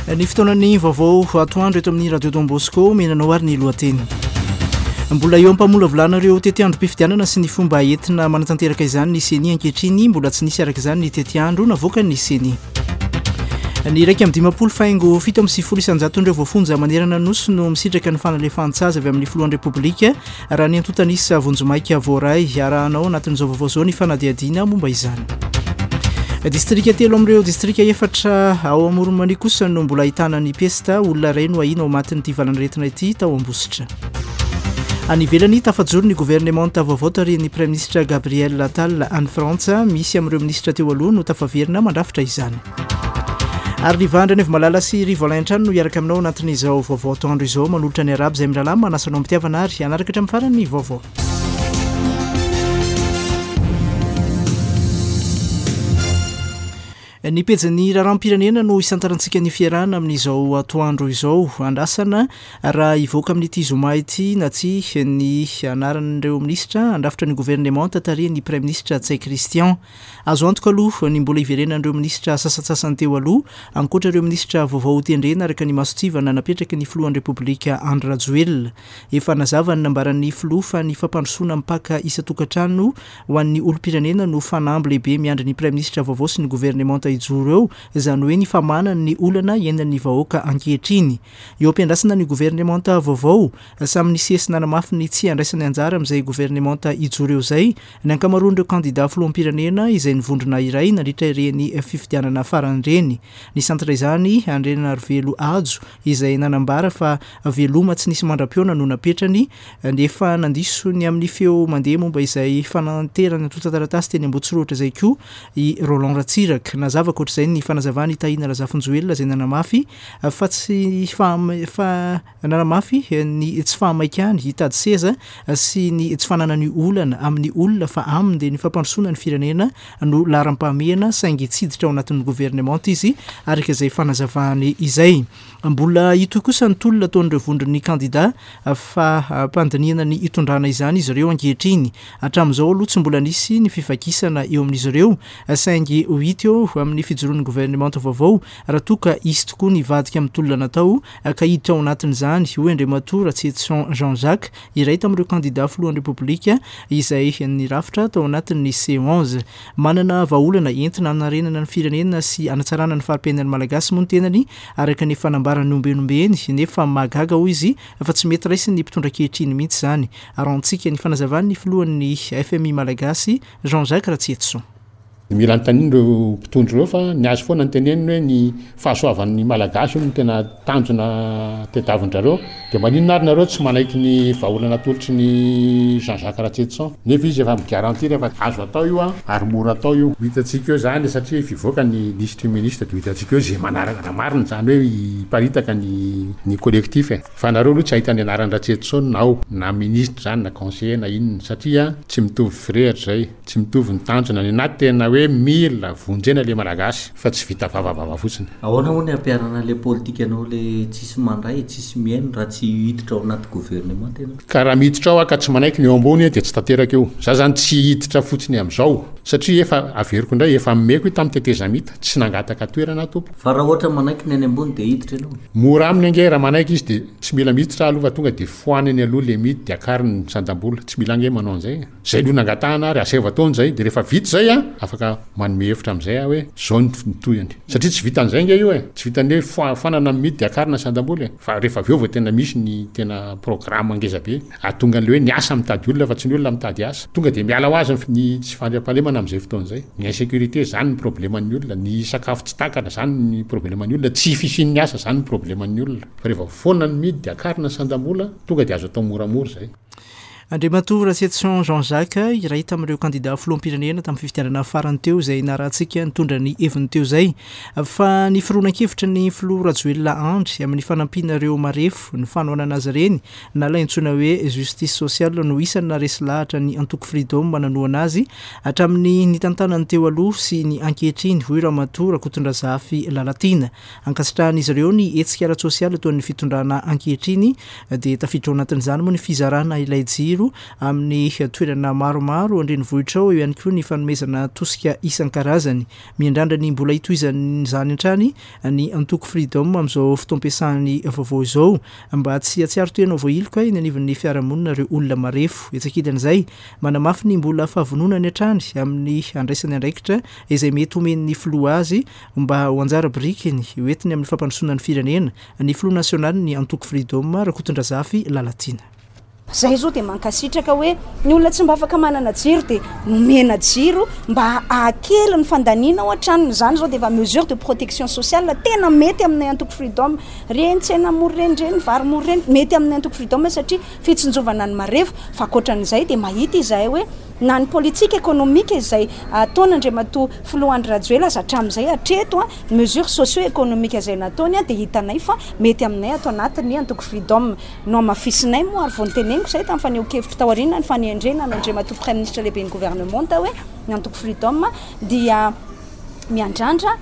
Ny fotoanan'ny vaovao atoandro eto amin'ny Radio Don Bosco, omena anao ary ny lohateny. Mbola eo am-pamolavolana ireo tetiandrom-pifidianana sy ny fomba entina manatanteraka izany ny Ceni ankehitriny. Mbola tsy nisy araka izany ny tetiandro navoakan'ny Ceni. Ny 51 faingo 97 isan-jaton'ireo voafonja manerana ny Nosy no misitraka ny fanalefahantsazy avy amin'ny filohan'ny Repoblika Raha ny antontan'isa vonjimaika voaray, arahanao anatin'izao vaovao izao ny fanadihadiana momba izany. Distrika telo amin'ireo distrika efatra ao Amoron'i Mania kosa no mbola ahitana ny pesta, olona iray no ahiana ho matin'ity valanaretina ity tao Ambositra. Any ivelany, tafajoro ny governemanta vaovao tarihin'ny Praiminisitra Gabriel Attal any Frantsa, misy amin'ireo minisitra teo aloha no tafaverina mandrafitra izany. Ary Riva Andrianaivomalala sy Rivo Alain hatrany no hiaraka aminao anatin'izao vaovao atoandro izao manolotra ny arabo izay mirahalahy manasa anao am-pitiavana ary hanaraka hatramin'ny farany ny vaovao. Ny pejin'ny raharaham-pirenena no isantarantsika ny fiarahana amin'izao atoandro izao. Andrasana raha hivoaka amin'ity zoma ity na tsia ny anaran'ireo minisitra handrafitra ny governemanta tarihin'ny praiminisitra Ntsay Christian. Azo antoka aloha ny mbola hiverenan'ireo minisitra sasantsasany teo aloha, ankoatra ireo minisitra vaovao hotendrena araka ny mason-tsivana napetraky ny filohan'ny Repoblika Andry Rajoelina. Efa nazava ny nambaran'ny filoha fa ny fampandrosoana mipaka isan-tokantrano ho an'ny olom-pirenena no fanamby lehibe miandry ny praiminisitra vaovao sy ny governemanta hijoro eo, izany hoe ny famahana ny olana iainan'ny vahoaka ankehitriny. Eo am-piandrasana ny governemanta vaovao, samy nisesy nanamafy ny tsy handraisany anjara amin'izay governemanta hijoro eo izay Ny ankamaroan'ireo kandidà filoham-pirenena izay nivondrona iray nandritra ireny fifidianana farany ireny. Nisantatra izany Andrianarivelo Hajo izay nanambara fa veloma tsy nisy mandra-pihaona no napetrany nefa nandiso ny amin'ny feo mandeha momba izay fananterana antontan-taratasy teny Ambohitsirohitra izay koa i Roland Ratsiraka. Nazava ankoatra izay ny fanazavan'i Tahina Razafinjoelina izay nanamafy fa tsy fa Nanamafy ny tsy fahamaikany hitady seza sy ny tsy fananany olana amin'ny olona fa aminy dia ny fampandrosoana ny firenena no laharam-pahamehana saingy tsy hiditra ao anatin'ny governemanta izy araka izay fanazavany izay. Mbola hitohy kosa ny tolona ataon'ireo vondron'ny kandida fa am-pandinihana ny hitondrana izany izy ireo ankehitriny. Hatramin'izao aloha tsy mbola nisy ny fivakisana eo amin'izy ireo saingy ho hita eo amin'ny fijoroan'ny governemanta vaovao raha toa ka hisy tokoa ny hivadika amin'ny tolona natao ka hiditra ao anatin'izany, hoy Andriamatoa Ratsietison Jean Jacques, iray tamin'ireo kandida filohan'ny Repoblika izay nirafitra tao anatin'ny C11. Manana vahaolana entina hanarenana ny firenena sy hanatsarana ny fari-piainan'ny Malagasy moa ny tenany, araka ny efa nambarany ombienombeny, nefa mahagaga, hoy izy, fa tsy mety raisin'ny mpitondra ankehitriny mihitsy izany. Arahantsika ny fanazavan'ny filohan'ny FMI Malagasy, Jean Jacques Ratsietison. Mila anontaniana ireo mpitondra ireo fa ny azy foana no teneniny hoe ny fahasoavan'ny Malagasy hono no tena tanjona tedavin-drareo. Dia maninona ary nareo tsy manaiky ny vahaolana atolotry ny Jean Jacques Ratsietison nefa izy efa mi-garantir fa azo atao io ary mora atao io. Ho hitantsika eo izany satria efa hivoaka ny lisitry ny ministra dia ho hitantsika eo izay manaraka raha marina izany hoe hiparitaka ny ny collectif e. Fa nareo aloha tsy hahita ny anaran-dRatsietison ao na ministra izany na conseiller na inona satria tsy mitovy firehatra izay. Tsy mitovy ny tanjona, ny anaty tena hoe mila vonjena le malagasy fa tsy vita vavavava fotsiny. Ahoana moa ny hampiharana le politikanao le tsisy mandray, tsisy mihaino raha tsy hiditra ao anaty gouvernement ianao? Ka raha miditra ao aho ka tsy manaiky ny eo ambony dia tsy tanteraka io. Za zany tsy hiditra fotsiny amizao satria efa averiko indray efa nomeko io tamin'ny tetezamita, tsy nangataka toerana aho tompoko. Fa raha ohatra manaiky ny any ambony dia hiditra ianao? Mora aminy ange raha manaiky izy dia tsy mila miditra aloha fa tonga dia foanany aloha le midy dia akariny ny sandam-bola, tsy mila ange manao an'izay e. Zay aloha nangatahana ary asaivo ataony zay de rehefa vita zay an, afaka manome hevitra amizay aho hoe zao ny tohiny. Satria tsy vitan'izay nge io e, tsy vitan'ny hoe foanana ny midy de akarina ny sandam-bola e, fa rehefa avy eo vao tena misy ny tena programme ngeza be ahatonga an'le hoe ny asa mitady olona fa tsy ny olona mitady asa. Tonga de miala ho azy ny tsy fandriampahalemana amizay fotoana izay. Ny insécurité zany ny probleman'ny olona, ny sakafo tsy takatra zany ny probleman'ny olona, tsy fisian'ny asa zany ny probleman'ny olona. Fa rehefa foana ny midy de akarina ny sandam-bola, tonga de azo atao moramora zay. Andriamatoa Ratsietison Jean Jacques, iray tamin'ireo kandida filoham-pirenena tamin'ny fifidianana farany teo izay narahantsika nitondra ny heviny teo izay, fa ny fironan-kevitry ny filoha Rajoelina Andry amin'ny fanampiana ireo marefo, ny fanohanana azy ireny na ilay antsoina hoe justice sociale no isan'ny naharesy lahatra ny antoko Freedom nanohana azy hatramin'ny nitantanany teo aloha sy ny ankehitriny, hoy Ramatoa Rakotondrazafy Lalatiana. Ankasitrahan'izy ireo ny hetsika ara-tsosialy ataon'ny fitondrana ankehitriny dia tafiditra ao anatin'izany moa ny fizarana ilay jiro. jiro amin'ny toerana maromaro an-drenivohitra ao, eo ihany koa ny fanomezana tosika isan-karazany. Miandrandra ny mbola hitohizan'izany hatrany ny antoko Freedom amin'izao fotoam-piasany vaovao izao mba tsy hahatsiaro tena ho voahiloka eny anivon'ny fiarahamonina ireo olona marefo. Etsy ankilan'izay, manamafy ny mbola fahavononany hatrany amin'ny handraisany andraikitra izay mety homen'ny filoha azy mba ho anjara birikiny hoentiny amin'ny fampandrosoana ny firenena ny filoha nasionalin'ny antoko Freedom, Rakotondrazafy Lalatiana. Zay zao dia mankasitraka hoe ny olona tsy mba afaka manana jiro dia nomena jiro mba hahakely ny fandaniana ao an-tranony, izany zao dia efa mesure de protection sociale tena mety aminay antoko Freedom, reny tsena mora reny, reny vary mora reny, mety aminay antoko Freedom satria fitsinjovana ny marefo, fa ankoatran'izay dia mahita izahay hoe na ny politique économique izay ataon'Andriamatoa Filoha Andry Rajoelina aza hatramin'izay hatreto an, ny mesure socio économique izay nataony dia hitanay fa mety aminay ato anatin'ny antoko Freedom. Nohamafisinay moa ary vao noteneniko izay tamin'ny fanehoan-kevitro taoriana ny fanendrena an'Andriamatoa Praiminisitra lehiben'ny governemanta hoe ny antoko Freedom dia miandrandra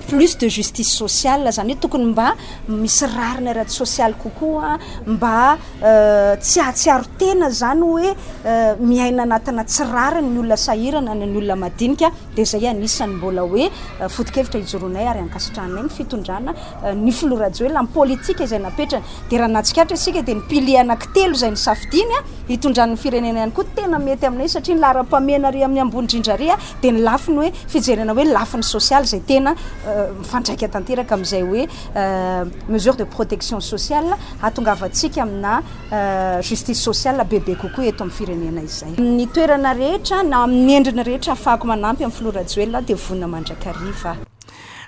plus de justice sociale, izany hoe tokony mba misy rariny ara-tsosialy kokoa, mba tsy hahatsiaro tena izany hoe miaina anatina tsy rariny ny olona sahirana na ny olona madinika, dia izay anisan'ny mbola hoe foto-kevitra ijoroanay ary ankasitrahanay ny fitondrana ny filoha Rajoelina amin'ny politika izay napetrany. Dia raha nahatsikaritra isika dia ny pilier anankitelo izay nosafidiany hitondrany ny firenena ihany koa tena mety aminay satria ny laharam-pahamehana ary amin'ny ambony indrindra ary dia ny lafiny hoe fijerena hoe lafiny sosialy izay tena mifandraika tanteraka amin'izay hoe mesure de protection sociale hahatongavantsika amina justice sociale bebe kokoa eto amin'ny firenena izay. Amin'ny toerana rehetra na amin'ny endriny rehetra ahafahako manampy amin'ny filoha Rajoelina aho dia vonona mandrakariva.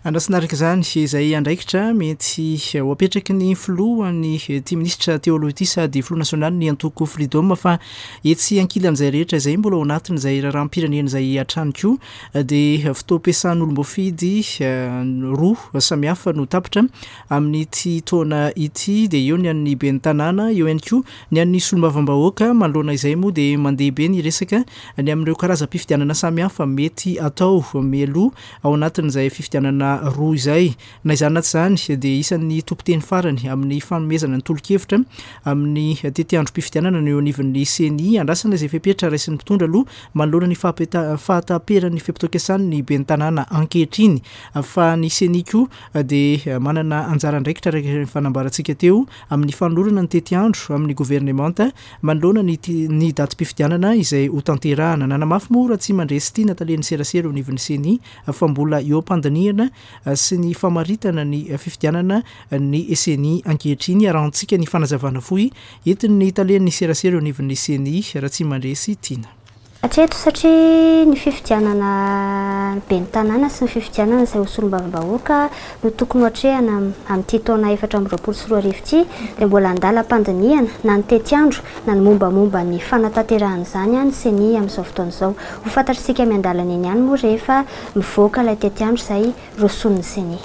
Andrasana araka izany izay andraikitra mety ho apetraky ny filohan'ny ity minisitra teo aloha ity sady filoha nasionalin'ny antoko Freedom fa etsy ankilan'izay rehetra izay mbola ao anatin'izay raharaham-pirenena izay hatrany koa dia fotoam-piasan'olom-boafidy roa samihafa no tapitra amin'ity taona ity dia eo ny an'ny ben'ny tanàna eo ihany koa ny an'ny solombavambahoaka. Manoloana izay moa dia mandeha be ny resaka ny amin'ireo karazam-pifidianana samihafa mety atao mialoha Ao anatin'izay fifidianana roa izay. Na izany na tsy izany dia isan'ny tompon-teny farany amin'ny fanomezana ny tolo-kevitra amin'ny tetiandrom-pifidianana ny eo anivon'ny Ceni. Andrasana izay fepetra raisin'ny mpitondra aloha manoloana ny fahataperan'ny fe-potoam-piasany ny ben'ny tanàna ankehitriny. Fa ny Ceni koa dia manana anjara andraikitra araka ny fanambarantsika teo amin'ny fanolorana ny tetiandro amin'ny governemanta Manoloana ny ny datim-pifidianana izay hotanterahana, nanamafy moa Ratsimandresy Tiana talen'ny serasera eo anivon'ny Ceni fa mbola eo am-pandinihana sy ny famaritana ny fifidianana ny Ceni ankehitriny. Arahantsika ny fanazavana fohy entin'ny talen'ny serasera eo anivon'ny Ceni, Ratsimandresy Tiana. Hatreto satria ny fifidianana ny ben'ny tanàna sy ny fifidianana izay ho solombavambahoaka no tokony ho atrehana amin'ity taona 2024 ity dia mbola andalam-pandinihana na ny tetiandro na ny mombamomba ny fanatanterahana izany ny Ceni amin'izao fotoana izao. Ho fantatr'isika miandalana eny ihany moa rehefa mivoaka ilay tetiandro izay rosoan'ny Ceni.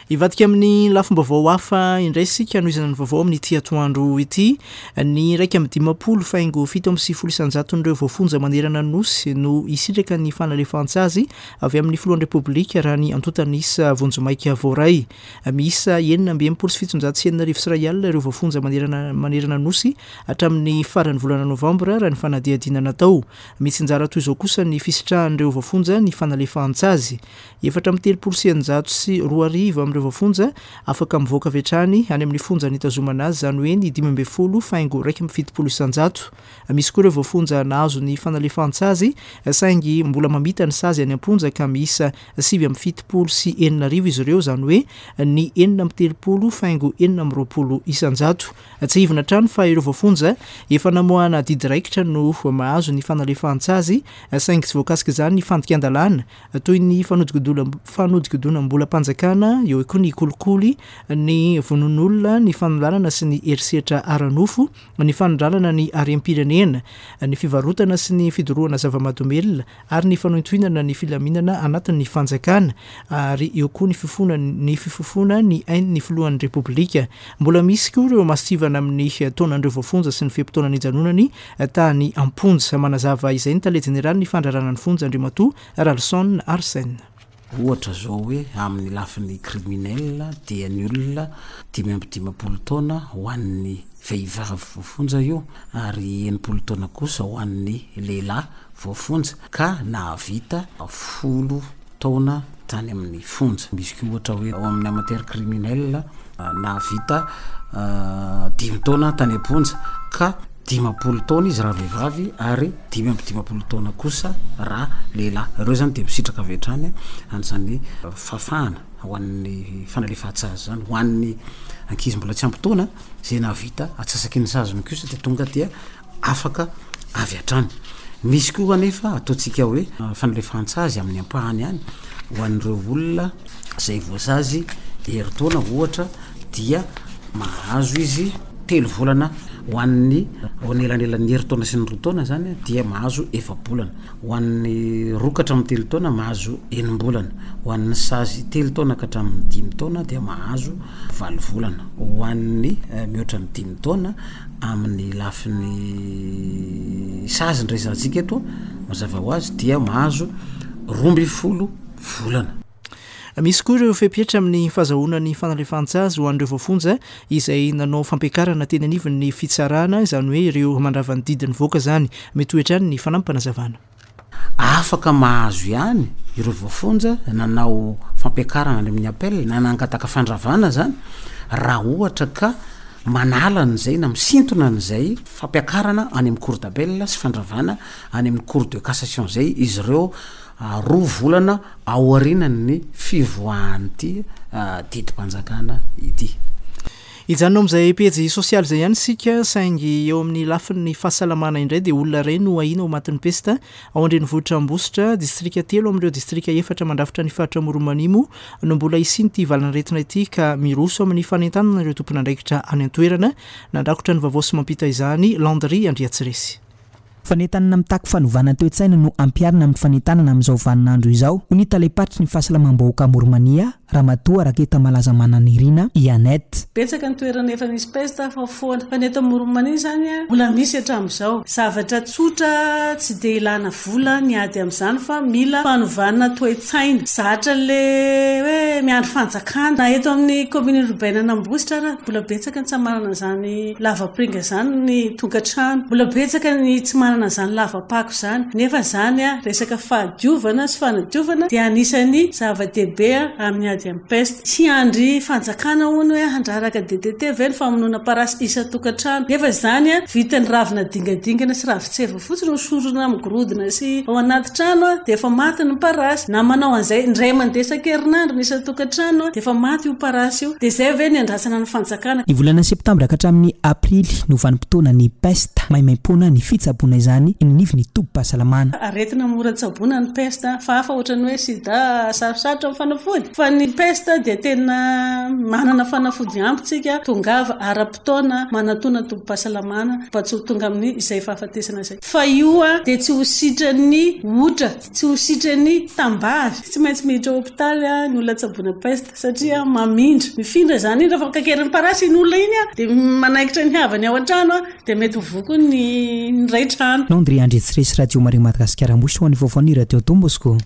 Hivadika amin'ny lafim-baovao hafa indray isika hanohizana ny vaovao amin'ity atoandro ity. Ny 51 faingo 97 isan-jaton'ireo voafonja manerana ny Nosy no hisitraka ny fanalefahantsazy avy amin'ny filohan'ny Repoblika raha ny antontan'isa vonjimaika voaray. Miisa 66 661 ireo voafonja manerana manerana ny Nosy hatramin'ny faran'ny volana novambra raha ny fanadihadiana natao. Mitsinjara toy izao kosa ny fisitrahan'ireo voafonja ny fanalefahan-tsazy. 2034 amin'ireo voafonja afaka mivoaka avy hatrany any amin'ny fonja nitazomana azy, izany hoe ny 15 faingo 71%. Misy koa ireo voafonja nahazo ny fanalefahan-tsazy saingy mbola mamita ny sazy any am-ponja ka miisa 66 izy ireo, izany hoe ny 36 faingo 26%. Tsiahivina hatrany fa ireo voafonja efa namoahana adidy raikitra no mahazo ny fanalefahan-tsazy saingy tsy voakasik'izany ny fandikan-dalàna toy ny fanodikodinam-bolam-panjakana, eo koa ny kolikoly, ny vonoan'olona, ny fanolanana sy ny herisetra ara-nofo, ny fanondranana ny harem-pirenena, ny fivarotana sy ny fidorohana zava-mahadomelina ary ny fanohintohinana ny filaminana anatin'ny fanjakana ary eo koa ny fifoana ny fifofoana ny ain'ny filohan'ny Repoblika. Mbola misy koa ireo masontsivana amin'ny taonan'ireo voafonja sy ny fe-potoana nijanonany tany am-ponja. Manazava izay ny tale jeneralin'ny fandraharahana ny fonja Andriamatoa Ralison Arsène. Ohatra izao hoe amin'ny lafiny criminel dia ny olona 55 taona ho an'ny vehivavy voafonja io ary 60 taona kosa ho an'ny lehilahy voafonja ka nahavita folo taona tany amin'ny fonja. Misy koa ohatra hoe ao amin'ny amateur criminel nahavita dimy taona tany am-ponja ka 50 taona izy raha vehivavy ary 55 taona kosa raha lehilahy. Ireo zany dia misitraka avy hatrany an'izany fahafahana ho an'ny fanalefahan-tsazy izany. Ho an'ny ankizy mbola tsy ampy taona izay nahavita antsasaky ny saziny kosa dia tonga dia afaka avy hatrany. Misy koa anefa ataontsika hoe fanalefahantsazy amin'ny ampahany ihany ho an'ireo olona izay voasazy herintaona ohatra dia mahazo izy telo volana ho an'ny ao anelanelan'ny herintaona sy ny roa taona zany dia mahazo efa-bolana, ho an'ny roa ka hatramin'ny telo taona mahazo enim-bolana, ho an'ny sazy telo taona ka hatramin'ny dimy taona dia mahazo valo volana, ho an'ny mihoatra ny dimy taona Amin'ny lafiny sazy ny resahantsika eto, mazava ho azy dia mahazo 12 volana. Misy koa ireo fepetra amin'ny fahazahoana ny fanalefahantsazy ho an'ireo voafonja izay nanao fampiakarana teny anivon'ny fitsarana, izany hoe ireo mandrava ny didy nivoaka izany. Mitohy hatrany ny fanampim-panazavana. Afaka mahazo ihany ireo voafonja nanao fampiakarana any amin'ny appel na nangataka fandravana izany raha ohatra ka manala an'izay na misintona an'izay fampiakarana any amin'ny cour d'appel sy fandravana any amin'ny cour de cassation izay izy ireo roa volana aorianan'ny fivoahan'ity didim-panjakana ity. Hijanona ao amin'izay pejy sosialy izay ihany isika, saingy eo amin'ny lafiny fahasalamana indray dia olona iray no ahiana ho matin'ny pesta ao an-drenivohitra Ambositra. Distrika telo amin'ireo distrika efatra mandrafitra ny faritra Amoron'i Mania moa no mbola hisian'ity valan'aretina ity ka miroso amin'ny fanentanana ireo tompon'andraikitra any an-toerana. Nandrakotra ny vaovao sy mampita izany Landry Andriatsiresy. Fanentanana mitaky fanovana toe-tsaina no ampiharina amin'ny fanentanana amin'izao vaninandro izao, hoy ny talem-paritry ny fahasalamam-bahoaka Amoron'i-Mania, Ramatoa Raketamalaza Mananirina i Annette. Betsaka ny toerana efa nisy peste fa foana. Fa ny eto Amoron'i-Mania izany mbola misy hatramin'izao. Zavatra tsotra tsy dia ilana vola ny ady amin'izany fa mila fanovana toe-tsaina. Zatra an'ilay hoe miandry fanjakana. Na eto amin'ny commune urbaine an'Ambositra ara mbola betsaka ny tsy manana izany lavapiringa izany ny tokantrano. Mbola betsaka ny tsy manana izany lava-pako izany. Nefa izany resaka fahadiovana sy fanadiovana dia anisan'ny zava-dehibe amin'ny ady amin'ny peste. Tsy hiandry fanjakana hono hoe handraraka DDT ve ny famonoana parasy isan-tokantrano. Nefa izany vitan'ny ravina dingadingana sy ravin-tseva fotsiny hosorona amin'ny gorodona sy ao anaty trano dia efa maty ny parasy. Na manao an'izay indray mandeha isan-kerinandro ny isan-tokantrano dia efa maty io parasy io. Dia izay ve ny andrasana ny fanjakana? Ny volana septambra ka hatramin'ny aprily no vanim-potoanan'ny pesta. Maimaimpoana ny fitsaboana izany eny anivon'ny tobim-pahasalamana. Aretina mora tsaboina ny pesta fa hafa ohatran'ny hoe sida sarosarotra ny fanafody fa ny pesta dia tena manana fanafody ampy tsika tongava ara-potoana manatona tobim-pahasalamana mba tsy ho tonga amin'ny izay fahafatesana izay fa io dia tsy ho sitran'ny otra tsy ho sitran'ny tambavy tsy maintsy miditra hopitaly ny olona tsaboina pesta Satria mamindra. Mifindra izany iny, rehefa kakerin'ny parasy iny olona iny dia manaikitra ny havany ao an-trano dia mety ho voa koa ny iray trano. Landry Andriatsiresy Radio Maria Madagasikara Ambositra ho an'ny vaovaon'ny Radio Don Bosco.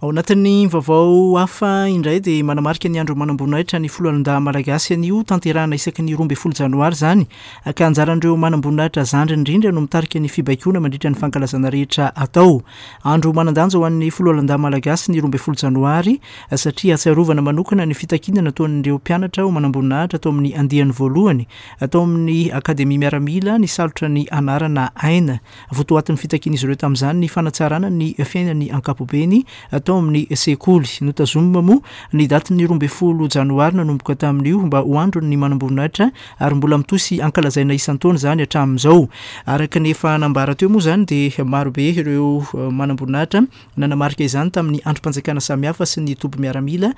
Ao anatin'ny vaovao hafa indray dia manamarika ny andro manamboninahitra ny foloalindahy malagasy anio, tanterahina isaky ny 12 janoary izany, ka anjaran'ireo manamboninahitra zandriny indrindra no mitarika ny fibaikoana mandritra ny fankalazana rehetra atao. Andro manan-danja ho an'ny foloalindahy malagasy ny 12 janoary satria ahatsiarovana manokana ny fitakiana nataon'ireo mpianatra ho manamboninahitra tao amin'ny andiany voalohany tao amin'ny Akademia Miaramila nisalotra ny anarana Aina. Votoatin'ny fitakian'izy ireo tamin'izany ny fanatsarana ny fiainany ankapobeny tao amin'ny sekoly. Notazomina moa ny datin'ny 12 janoary nanomboka tamin'io mba ho andron'ny manamboninahitra ary mbola mitohy sy ankalazaina isan-taona izany hatramin'izao. Araka ny efa nambara teo moa izany dia marobe ireo manamboninahitra Nanamarika izany tamin'ny andrim-panjakana samihafa sy ny toby miaramila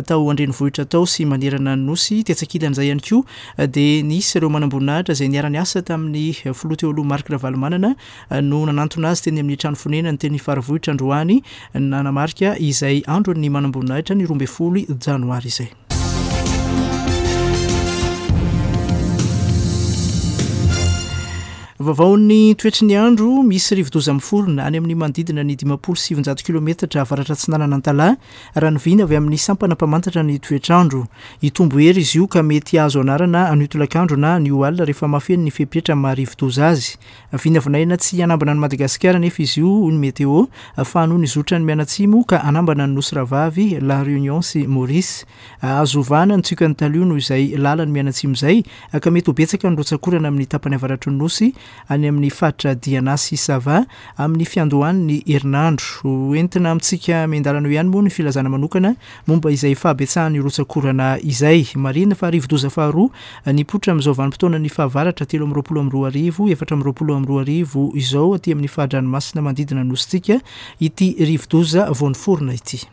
tao an-drenivohitra tao sy manerana ny Nosy. Tetsy ankilan'izay ihany koa dia nisy ireo manamboninahitra izay niara-niasa tamin'ny filoha teo aloha Marc Ravalomanana no nanantona azy teny amin'ny trano fonenany teny Faravohitra androany nanamarika izay andron'ny manamboninahitra ny 12 janoary izay. Vaovaon'ny toetry ny andro, misy rivodoza miforona any amin'ny manodidina ny 950 kilometatra avaratra atsinanan'Antalaha, raha ny vina avy amin'ny sampana mpamantatra ny toetr'andro. Hitombo hery izy io ka mety hahazo anarana anio tolakandro na anio alina rehefa mahafeno ny fepetra maha rivodoza azy. Vinavinaina tsy hanambana an'i Madagasikara anefa izy io, hoy ny Météo, fa hanohy ny zotrany mianatsimo ka hanambana ny Nosy Rahavavy, La Réunion sy Maurice. Azo ovana ny tsiokan'ny talio noho izay lalany mianatsimo izay ka mety ho betsaka ny rotsak'orana amin'ny tapany avaratry ny Nosy any amin'ny faritra Diana sy Sava amin'ny fiandohan'ny herinandro. Ho entina amintsika miandalana eo ihany moa ny filazana manokana momba izay fahabetsahan'ny rotsak'orana izay. Marihina fa rivodoza faharoa nipoitra amin'izao vanim-potoanan'ny fahavaratra 2023, 2024 izao aty amin'ny faha-dranomasina manodidina ny Nosintsika ity rivodoza vao niforona ity.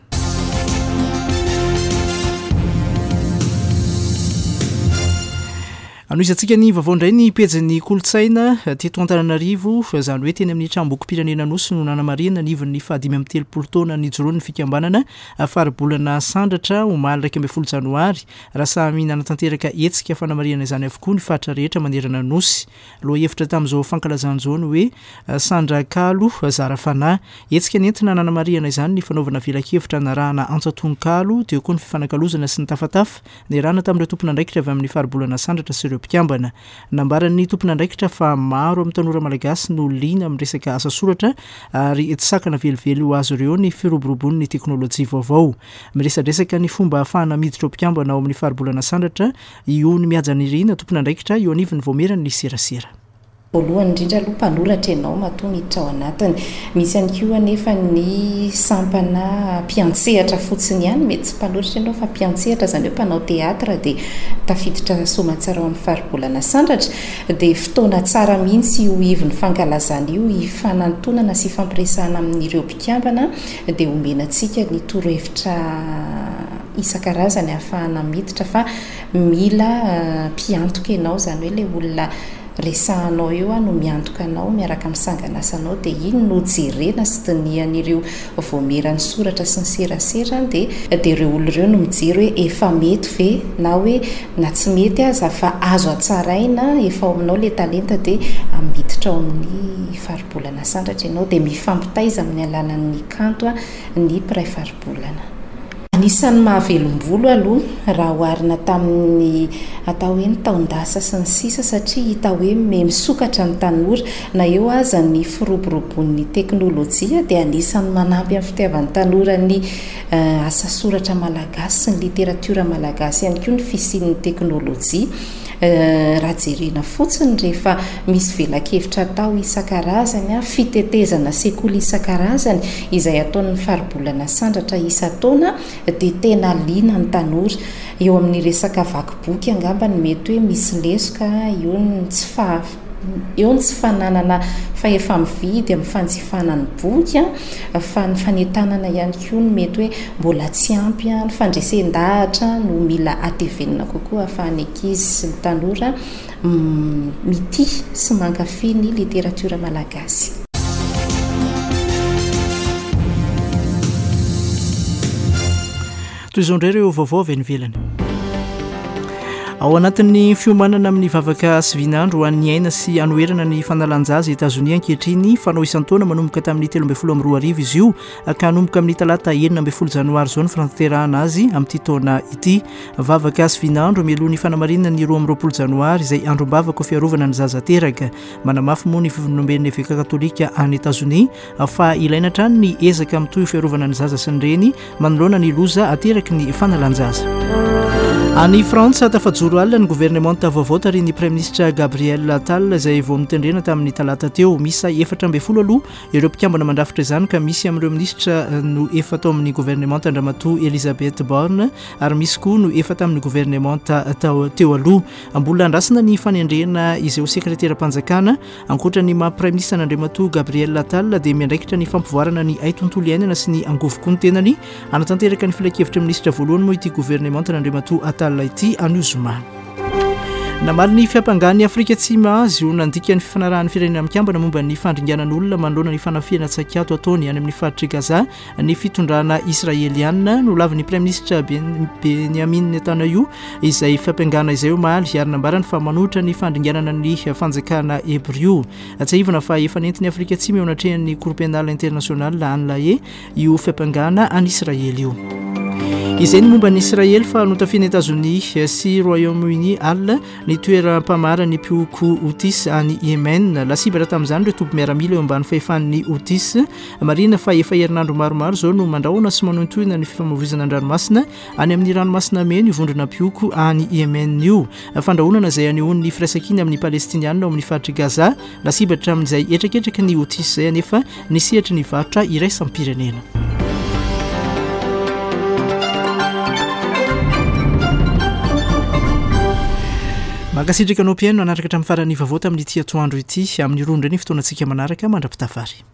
Anohizantsika ny vaovao indray ny pejin'ny kolontsaina teto Antananarivo, izany hoe teny amin'ny tranombokim-pirenena Anosy no nanamarihana ny ivon'ny faha-35 taona nijoroan'ny fikambanana Faribolana Sandratra omaly 11 janoary, raha samy nanatanteraka hetsika fanamarihana izany avokoa ny faritra rehetra manerana ny Nosy. Lohahevitra tamin'izao fankalazana izao ny hoe Sandra Kalo zara fanahy. Hetsika nentina nanamarihana izany ny fanaovana velakevitra narahana antsan-tononkalo, teo koa ny fifanakalozana sy ny tafatafa Niarahana tamin'ireo tompon'andraikitra avy amin'ny Faribolana Sandratra sy ireo mpikambana. Nambaran'ny tompon'andraikitra fa maro amin'ny tanora malagasy no liana amin'ny resaka asa soratra ary tsy sakana velively ho azy ireo ny firoborobon'ny teknolojia vaovao. Miresadresaka ny fomba ahafahana miditra ho mpikambana ao amin'ny Faribolana Sandratra i Ony Mihajanirina, tompon'andraikitra eo anivon'ny Vaomieran'ny serasera. Voalohany indrindra aloha mpanoratra ianao matoa miditra ao anatiny. Misy ihany koa anefa ny sampana mpiantsehatra fotsiny ihany, mety tsy mpanoratra ianao fa mpiantsehatra, izany hoe mpanao théâtre dia tafiditra soamantsara ao amin'ny faribolana Sandratra. Dia fotoana tsara mihitsy io ivon'ny fankalazana io hifanantonana sy hifampiresahana amin'ireo mpikambana dia omena antsika ny torohevitra isan-karazany ahafahana miditra fa mila mpiantoka ianao, izany hoe ilay olona resahanao eo no miantoka anao miaraka amin'ny sangan'asanao dia iny no jerena sy dinihan'ireo vaomieran'ny soratra sy ny serasera dia dia ireo olona ireo no mijery hoe efa mety ve na hoe na tsy mety aza fa azo hatsaraina efa ao aminao ilay talenta dia miditra ao amin'ny faribolana sandratra ianao dia mifampitaiza amin'ny alalan'ny kanto ny mpiray faribolana. Anisan'ny mahavelom-bolo aloha raha oharina tamin'ny atao hoe ny taon-dasa sy ny sisa satria hita hoe miha misokatra ny tanora. Na eo aza ny firoborobon'ny teknolojia dia anisan'ny manampy amin'ny fitiavan'ny tanora ny asa soratra malagasy sy ny literatiora malagasy ihany koa ny fisian'ny teknolojia. Raha jerena fotsiny rehefa misy velakevitra atao isan-karazany, fitetezana sekoly isan-karazany izay ataon'ny Faribolana Sandratra isan-taona dia tena liana ny tanora. Eo amin'ny resaka vaky boky angamba no mety hoe misy lesoka, eo ny tsy faha. Eo ny tsy fananana fahefa-mividy amin'ny fanjifana ny boky fa ny fanentanana ihany koa no mety hoe mbola tsy ampy, ny fandresen-dahatra no mila hatevenina kokoa ahafahan'ny ankizy sy ny tanora mitia sy mankafy ny literatiora malagasy. Toy izao indray ireo vaovao avy any ivelany. Ao anatin'ny fiomanana amin'ny vavaka sy vinandro ho an'ny aina sy hanoherana ny fanalan-jaza Etazonia ankehitriny, fanao isan-taona manomboka tamin'ny 2013 izy io ka hanomboka amin'ny talata 16 janoary izao ny fanatanterahana azy amin'ity taona ity. Vavaka sy vinandro mialoha ny fanamarinana ny 22 janoary izay androm-bavaka ho fiarovana ny zaza teraka. Manamafy moa ny Fivondromben'ny Eveka Katolika any Etazonia fa ilaina hatrany ny ezaka mitohy ho fiarovana ny zaza sy ny reny manoloana ny loza ateraky ny fanalan-jaza. Any Frantsa, tafajoro alina ny governemanta vaovao tarihin'ny Praiminisitra Gabriel Attal izay vao notendrena tamin'ny talata teo. Miisa 14 aloha ireo mpikambana mandrafitra izany ka misy amin'ireo minisitra no efa tao amin'ny governemanta Andriamatoa Elisabeth Borne ary misy koa no efa tamin'ny governemanta teo aloha. Mbola andrasana ny fanendrena izay ho sekreteram-panjakana Ankoatra ny maha Praiminisitra an'Andriamatoa Gabriel Attal dia miandraikitra ny fampivoarana ny haitontolo iainana sy ny angovo koa ny tenany. Hanatanteraka ny filankevitry ny minisitra voalohany moa ity governemantan'Andriamatoa Attal ity anio zoma. Namaly ny fiampangan'i Afrika Atsimo azy ho nandika ny fifanarahan'ny Firenena Mikambana momba ny fandringanan'olona manoloana ny fanafihana tsaikato ataony any amin'ny faritr'i Gaza ny fitondrana israeliana. Nolavin'ny Praiminisitra Benjamin Netanyahu izay fiampangana izay omaly ary nambarany fa manohitra ny fandringanana ny fanjakana Hebrio. Tsiahivina fa efa nentin'i Afrika Atsimo eo anatrehan'ny Cour Pénale Internationale any La Haye io fiampangana an'i Israely io. Izay ny momba an'i Israely fa notafian'i Etazonia sy Royaume-Uni alina ny toeram-pamaran'ny mpihoko Houthis any Yemen. Lasibatra tamin'izany ireo toby miaramila eo ambany fahefan'ny Houthis. Marihina fa efa herinandro maromaro izao no mandrahona sy manohintohina ny fifamoivoizana an-dranomasina any amin'ny ranomasina Mena io vondrona mpihoko any Yemen io. Fandrahonana izay anehoany ny firaisankina amin'ny Palestiniana ao amin'ny faritr'i Gaza. Lasibatra amin'izay hetraketraky ny Houthis izay anefa ny sehatry ny varotra iraisam-pirenena. Mankasitraka anao mpihaino nanaraka hatramin'ny faran'ny vaovao tamin'ity atoandro ity. Amin'ny roa indray ny fotoanantsika manaraka mandra-pitafary.